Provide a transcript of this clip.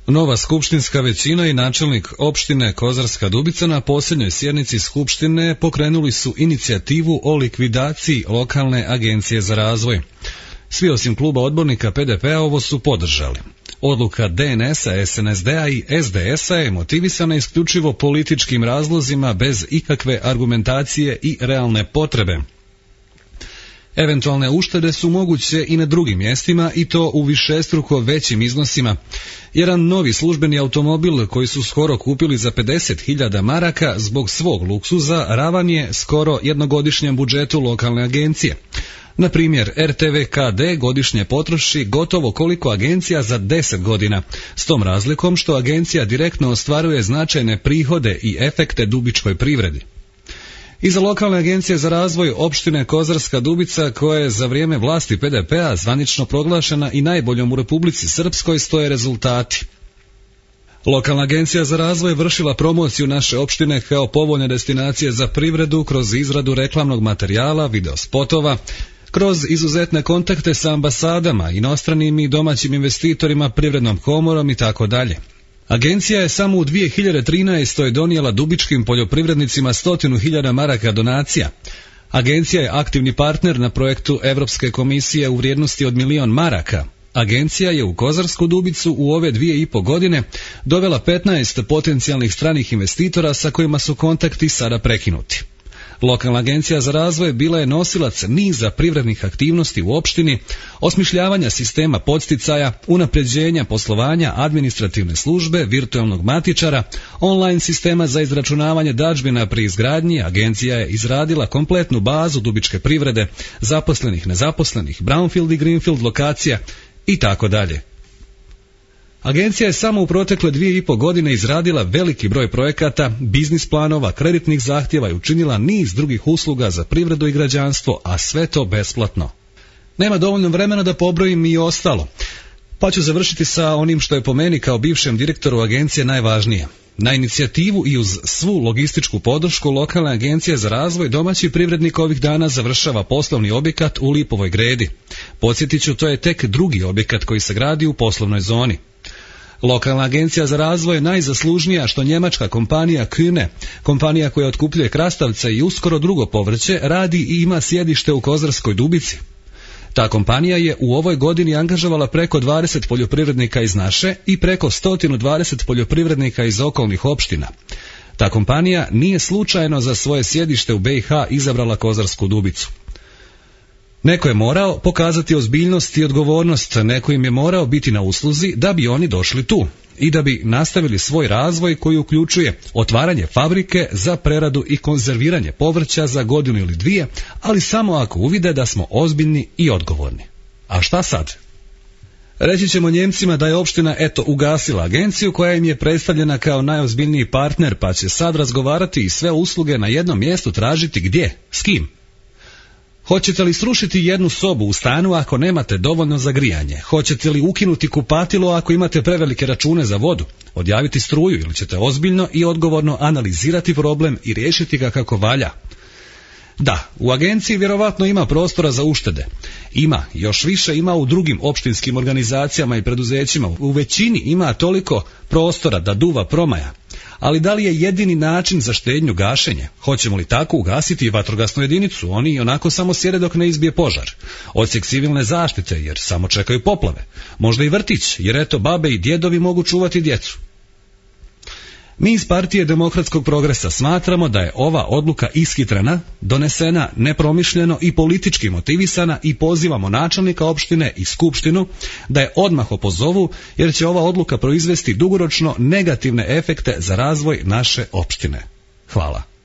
Nova skupštinska većina i načelnik opštine Kozarska Dubica na posljednjoj sjednici skupštine pokrenuli su inicijativu o likvidaciji lokalne agencije za razvoj. Svi osim kluba odbornika PDP-a ovo su podržali. Odluka DNS-a, SNSD-a i SDS-a je motivisana isključivo političkim razlozima bez ikakve argumentacije i realne potrebe. Eventualne uštede su moguće i na drugim mjestima i to u višestruko većim iznosima. Jedan novi službeni automobil koji su skoro kupili za 50.000 maraka zbog svog luksuza ravan je skoro jednogodišnjem budžetu lokalne agencije. Na primjer, RTV KD godišnje potroši gotovo koliko agencija za 10 godina, s tom razlikom što agencija direktno ostvaruje značajne prihode i efekte dubičkoj privredi. Iza lokalne agencije za razvoj opštine Kozarska Dubica, koja je za vrijeme vlasti PDP-a zvanično proglašena i najboljom u Republici Srpskoj, stoje rezultati. Lokalna agencija za razvoj vršila promociju naše opštine kao povoljne destinacije za privredu kroz izradu reklamnog materijala, videospotova, kroz izuzetne kontakte sa ambasadama, inostranim i domaćim investitorima, privrednom komorom itd. Agencija je samo u 2013. donijela dubičkim poljoprivrednicima 100.000 maraka donacija. Agencija je aktivni partner na projektu Europske komisije u vrijednosti od 1.000.000 maraka. Agencija je u Kozarsku Dubicu u ove 2,5 godine dovela 15 potencijalnih stranih investitora sa kojima su kontakti sada prekinuti. Lokalna agencija za razvoj bila je nosilac niza privrednih aktivnosti u opštini, osmišljavanja sistema podsticaja, unapređenja poslovanja administrativne službe, virtualnog matičara, online sistema za izračunavanje dadžbina pri izgradnji. Agencija je izradila kompletnu bazu dubičke privrede, zaposlenih, nezaposlenih, brownfield i greenfield lokacija i tako dalje. Agencija je samo u protekle 2,5 godine izradila veliki broj projekata, biznis planova, kreditnih zahtjeva i učinila niz drugih usluga za privredu i građanstvo, a sve to besplatno. Nema dovoljno vremena da pobrojim i ostalo, pa ću završiti sa onim što je po meni kao bivšem direktoru agencije najvažnije. Na inicijativu i uz svu logističku podršku lokalne agencije za razvoj domaći privrednik ovih dana završava poslovni objekat u Lipovoj Gredi. Podsjetit ću, to je tek drugi objekat koji se gradi u poslovnoj zoni. Lokalna agencija za razvoj je najzaslužnija što njemačka kompanija Kühne, kompanija koja otkupljuje krastavce i uskoro drugo povrće, radi i ima sjedište u Kozarskoj Dubici. Ta kompanija je u ovoj godini angažovala preko 20 poljoprivrednika iz naše i preko 120 poljoprivrednika iz okolnih opština. Ta kompanija nije slučajno za svoje sjedište u BiH izabrala Kozarsku Dubicu. Neko je morao pokazati ozbiljnost i odgovornost, neko im je morao biti na usluzi da bi oni došli tu i da bi nastavili svoj razvoj koji uključuje otvaranje fabrike za preradu i konzerviranje povrća za godinu ili dvije, ali samo ako uvide da smo ozbiljni i odgovorni. A šta sad? Reći ćemo Njemcima da je opština ugasila agenciju koja im je predstavljena kao najozbiljniji partner, pa će sad razgovarati i sve usluge na jednom mjestu tražiti gdje, s kim? Hoćete li srušiti jednu sobu u stanu ako nemate dovoljno za grijanje? Hoćete li ukinuti kupatilo ako imate prevelike račune za vodu? Odjaviti struju ili ćete ozbiljno i odgovorno analizirati problem i riješiti ga kako valja? Da, u agenciji vjerovatno ima prostora za uštede. Ima, još više ima u drugim opštinskim organizacijama i preduzećima. U većini ima toliko prostora da duva promaja. Ali da li je jedini način za štednju gašenje? Hoćemo li tako ugasiti i vatrogasnu jedinicu? Oni i onako samo sjede dok ne izbije požar. Odsjek civilne zaštite jer samo čekaju poplave. Možda i vrtić jer eto babe i djedovi mogu čuvati djecu. Mi iz Partije demokratskog progresa smatramo da je ova odluka ishitrena, donesena nepromišljeno i politički motivisana i pozivamo načelnika opštine i skupštinu da je odmah opozovu jer će ova odluka proizvesti dugoročno negativne efekte za razvoj naše opštine. Hvala.